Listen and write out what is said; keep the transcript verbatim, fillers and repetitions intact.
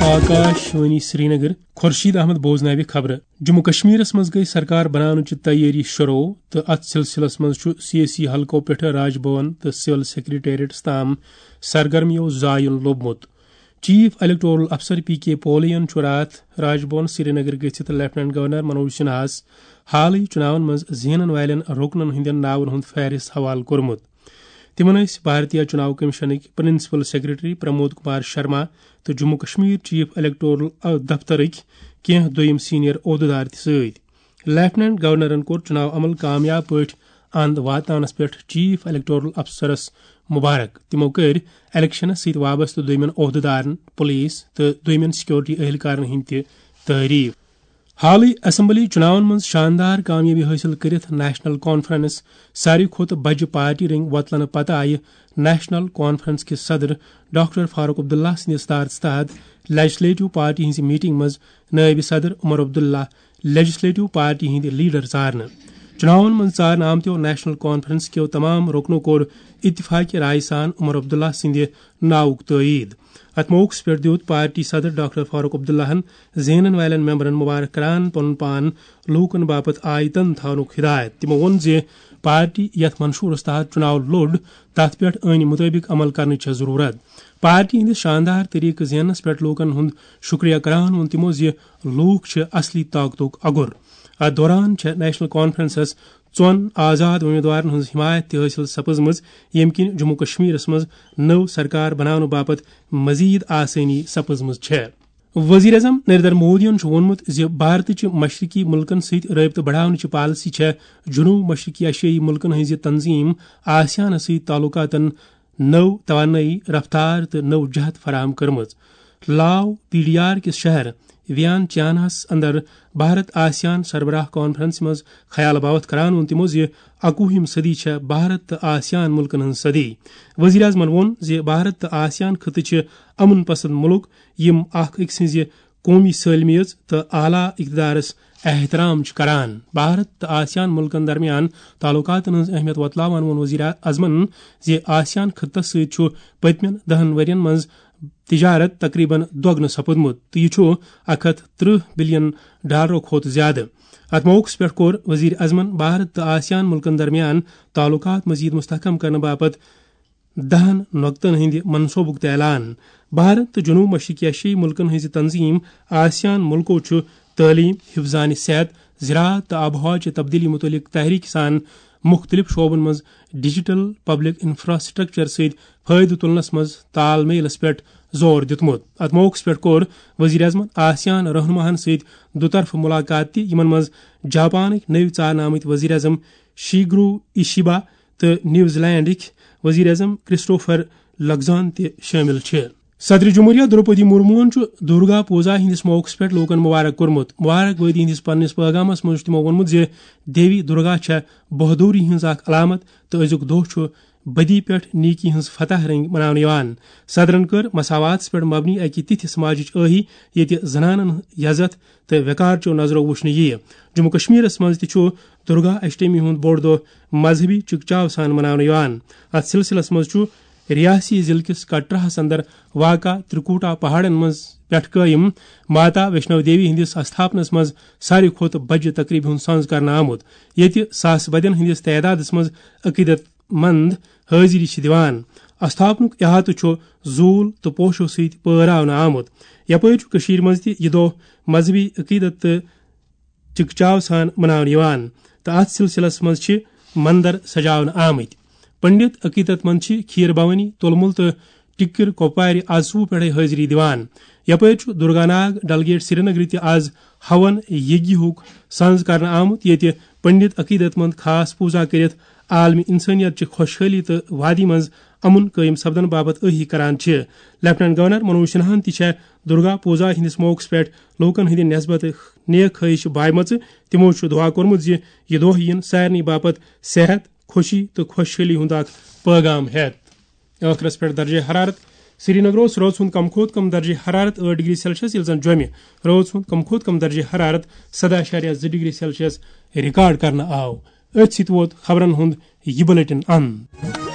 آکاش وانی سرینگر۔ خورشید احمد بوزناوِ خبرٕ۔ جموں کشمیرس منٛز گٔے سرکار بناونٕچہِ تیٲری شروع تہٕ اتھ سلسلس منٛز چھُ سیٲسی حلقو پٮ۪ٹھٕ راج بھون تہٕ سول سیکرٹریٹس تام سرگرمیو زایُن لوٚبمُت۔ چیف الیکٹورل افسر پی کے پولین چھُ راتھ راج بھون سرینگر گٔژھِتھ لیفٹیننٹ گورنر منوج سنہاہس حالٕے چُناون منٛز زینن والٮ۪ن رُکنن ہٕنٛدٮ۪ن ناون ہُنٛد فہرست حوالہٕ کوٚرمُت۔ تِمن ٲسۍ بھارتیہ چُناو کمیشنٕکۍ پرنسپل سیکرٹری پرمود کمار شرما تہٕ جموں کشمیر چیف الیکٹورل دفترٕکۍ کینٛہہ دوٚیِم سینئر عہدٕدار تہِ سۭتۍ۔ لیفٹیننٹ گورنرن کوٚر چُناو عمل کامیاب پٲٹھۍ اند واتناونس پٮ۪ٹھ چیف الیکٹورل افسرس مبارک۔ تِمو کٔرۍ الیکشنس سۭتۍ وابستہٕ دوٚیمٮ۪ن عہدٕدارن، پولیس تہٕ دوٚیمٮ۪ن سیکورٹی اہلکارن ہٕنٛدۍ تہِ تعریف۔ حالٕے اسمبلی چُناون منٛز شاندار کامیٲبی حٲصِل کٔرِتھ نیشنل کانفرنس ساروی کھۄتہٕ بجہِ پارٹی رٔنگۍ وۄتلنہٕ پتہٕ آیہِ نیشنل کانفرنس کِس صدر ڈاکٹر فاروق عبداللہ سٕنٛدِ صدارتس تحت لیجسلیٹو پارٹی ہٕنٛزِ میٹنگ منٛز نٲیِب صدر عمر عبداللہ لیجسلیٹو پارٹی ہٕنٛدۍ لیڈر ژارنہٕ۔ چُناون منٛز ژارنہٕ آمتیو نیشنل کانفرنس کیو تمام رُکنو کوٚر اتفاق رائے سان عمر عبداللہ سٕنٛدِ ناوُک تٲیید۔ اتھ موقعس پٮ۪ٹھ دیُت پارٹی صدر ڈاکٹر فاروق عبداللہن زینن والٮ۪ن ممبرن مبارک کران پنُن پان لوٗکن باپتھ آیتن تھاونُک ہدایت۔ تِمو ووٚن زِ پارٹی یتھ منشورس تحت چُناو لوٚڑ، تتھ پٮ۪ٹھ ٲنی مطٲبق عمل کرنٕچ چھےٚ ضروٗرت۔ پارٹی ہٕنٛدِس شاندار طریقہٕ زیننس پٮ۪ٹھ لوٗکن ہُنٛد شُکریہ کران ووٚن تِمو زِ لوٗکھ چھِ اصلی طاقتُک اگُر۔ اتھ دوران چھےٚ نیشنل کانفرنسس ژۄن آزاد امیدوارن ہٕنٛز حمایت تہِ حٲصِل سپٕزمٕژ، ییٚمہِ کِنۍ جموں کشمیرس منٛز نٔو سرکار بناونہٕ باپتھ مزید آسٲنی سپٕزمٕژ چھےٚ۔ وزیر اعظم نریندر مودیَن چھُ ووٚنمُت زِ بھارتٕچہِ مشرقی مُلکَن سۭتۍ رٲبطہٕ بڑاونٕچہِ پالیسی چھےٚ جنوب مشرقی ایشیائی مُلکَن ہٕنٛزِ تنظیٖم آسیانَس سۭتۍ تعلقاتَن نٔو توانٲیی، رفتار تہٕ نٔو جہت فراہم کٔرمٕژ۔ لاو پی ڈی آر کِس شہر ویان چیاناہَس اندر بھارت آسیان سربراہ کانفرنسہِ منٛز خیال باوتھ کران ووٚن تِمو زِ اَکوُہِم صدی چھےٚ بھارت تہٕ آسیان مُلکَن ہٕنٛز صدی۔ وزیر اعظمَن ووٚن زِ بھارت تہٕ آسیان خطہٕ چھِ امن پسند مُلک، یِم اکھ أکۍ سٕنٛزِ قومی سٲلمیت تہٕ اعلیٰ اقتدارس احترام چھِ کران۔ بھارت تہٕ آسیان مُلکن درمیان تعلقاتن ہٕنٛز اہمیت وۄتلاوان ووٚن وزیر اعظمن زِ آسیان خطس سۭتۍ چھُ پٔتمٮ۪ن دَہن ؤرین منٛز تجارت تقریباً دۄگنہٕ سپُدمُت تہٕ یہِ چھُ اکھ ہتھ ترٕہ بلین ڈالرو کھۄتہٕ زیادٕ۔ اتھ موقعس پٮ۪ٹھ کوٚر وزیر اعظمن بھارت تہٕ آسیان مُلکن درمیان تعلقات مزید مستحکم کرنہٕ باپتھ دَہن نۄقطن ہٕنٛدِ منصوبُک تہِ اعلان۔ بھارت تہٕ جنوب مشرقی ایشیائی ملکن ہٕنٛزِ تنظیٖم آسیان ملکو چھُ تعلیٖم، حفظانِ صحت، زراعت تہٕ آب و ہوا چہِ تبدیلی متعلق تحریک سان مختلف شعبن منٛز ڈیجیٹل پبلک انفراسٹرکچر سۭتۍ فٲیدٕ تُلنس منٛز تال میلس پٮ۪ٹھ زور دیُتمُت۔ اتھ موقعس پٮ۪ٹھ کوٚر وزیر اعظمن آسیان رہنماہن سۭتۍ دُطرفہٕ ملاقات تہِ، یِمن منٛز جاپانٕکۍ نٔوۍ ژارنہٕ آمٕتۍ وزیر اعظم شیگرو ایشیبا تہٕ نیوزی لینڈٕکۍ وزیر اعظم کرسٹوفر لگزان تہِ شٲمِل چھِ۔ صدر جمہوریہ دروپدی مرموہن چھُ درگا پوجا ہٕنٛدِس موقعس پٮ۪ٹھ لوٗکن مبارک کوٚرمُت۔ مبارک بٲدی ہٕنٛدِس پننِس پیغامس منٛز چھُ تِمو ووٚنمُت زِ دیوی درگا چھےٚ بہادری ہٕنٛز اکھ علامت تہٕ أزیُک دۄہ چھُ بدی پٮ۪ٹھ نیکی ہٕنٛز فتح رنگۍ مناونہٕ یِوان۔ صدرن کٔر مساواتس پٮ۪ٹھ مبنی اکہِ تِتھِ سماجٕچ ٲہی ییٚتہِ زنانن عزت تہٕ وقار چیو نظرو وُچھنہٕ یِیہِ۔ جموں کشمیرس منٛز تہِ چھُ درگا اشٹمی ہُنٛد بوٚڑ دۄہ مذہبی چکچاو سان مناونہٕ یِوان۔ اتھ سلسلس منٛز چھُ ریاسی ضلعہٕ کِس کٹراہس اندر واقع ترکوٹا پہاڑن منٛز پٮ۪ٹھ قٲیِم ماتا ویشنو دیوی ہٕنٛدِس استھاپنس منٛز ساروی کھۄتہٕ بجہِ تقریبہِ ہُنٛد سنز کرنہٕ آمُت، ییٚتہِ ساسہٕ بدٮ۪ن ہٕنٛدِس تعدادس منٛز عقیدت مند حٲضری چھِ دِوان۔ استھاپنُک احاطہٕ چھُ زوٗل تہٕ پوشو سۭتۍ پٲراونہٕ آمُت۔ یپٲرۍ چھُ کٔشیٖرِ منٛز تہِ یہِ دۄہ مذہبی عقیدت تہٕ چکچاو سان مناونہٕ یِوان تہٕ اتھ سلسلس منٛز چھِ مندر سجاونہٕ آمٕتۍ۔ پنڈت عقیدت مند چھِ کھیٖر بھوانی، تُلمُل تہٕ ٹِکِر کۄپوارِ آز صُبحہٕ پٮ۪ٹھے حٲضری دِوان۔ یپٲرۍ چھُ درگا ناگ ڈلگیٹ سرینگرٕ تہِ آز ہون یگیہُک سنز کرنہٕ آمُت، ییٚتہِ پنڈت عقیدت مند خاص پوٗزا کٔرِتھ عالمی انسٲنیت چہِ خۄشحٲلی تہٕ وادی منٛز امن قٲیِم سپدن باپتھ ٲہی کران چھِ۔ لیفٹیننٹ گورنر منوج سنہاہن تہِ چھےٚ درگا پوٗزا ہٕنٛدِس موقعس پٮ۪ٹھ لوٗکن ہٕنٛدِ نسبت نیک خٲہِش بایمژٕ۔ تِمو چھُ دُعا کوٚرمُت زِ یہِ دۄہ یِن سارنٕے باپتھ صحت، خوشی تہٕ خۄشحٲلی ہُنٛد اکھ پٲغام ہٮ۪تھ۔ ٲخرس پٮ۪ٹھ درجہ حرارت۔ سرینگر اوس رٲژ ہُنٛد کم کھۄتہٕ کم درجہ حرارت ٲٹھ ڈگری سیلسیس، ییٚلہِ زن جوٚمہِ رٲژ ہُنٛد کم کھۄتہٕ کم درجہ حرارت سداہ اعشاریہ زٕ ڈگری سیلسیس ریکارڈ کرنہٕ آو۔ أتھۍ سۭتۍ ووت خبرن ہُنٛد یہِ بلیٹن اند۔